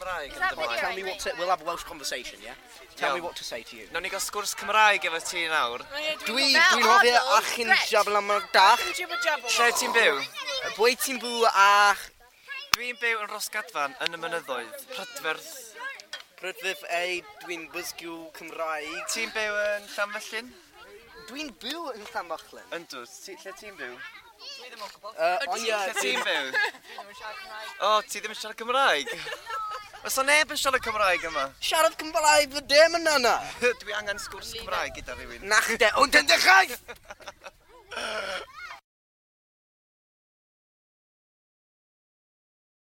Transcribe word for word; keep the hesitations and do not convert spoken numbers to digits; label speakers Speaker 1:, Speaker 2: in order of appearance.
Speaker 1: Cymraeg
Speaker 2: Is
Speaker 1: yn
Speaker 2: that
Speaker 1: dy flaen.
Speaker 2: video?
Speaker 3: Tell me what to... We'll have a Welsh conversation, yeah? Tell
Speaker 1: Iawn.
Speaker 3: me what to say to you.
Speaker 1: Nawn ni gael sgwrs Cymraeg efo ti nawr.
Speaker 3: Dwi, dwi'n hoffi achin jabl am y dach.
Speaker 1: Lle ti'n byw?
Speaker 3: Bwy ti'n byw a
Speaker 1: Dwi'n byw yn Rosgadfan yn y mynyddoedd. Prydferth.
Speaker 3: Prydferth ei, dwi'n bysgw Cymraeg.
Speaker 1: Ti'n byw yn Llanfyllin?
Speaker 3: Dwi'n byw yn Llanfyllin.
Speaker 1: Yndw. Ti, lle ti'n byw?
Speaker 3: Uh, ond ie,
Speaker 1: Lle ti'n byw? O, ti ddim yn siarad Cymraeg? Oes o neb yn siarad Cymraeg yma?
Speaker 3: Siarad Cymraeg fy dim yn yna.
Speaker 1: Dwi angen sgwrs Cymraeg gyda rhywun.
Speaker 3: Nach de, ond yn dechrau!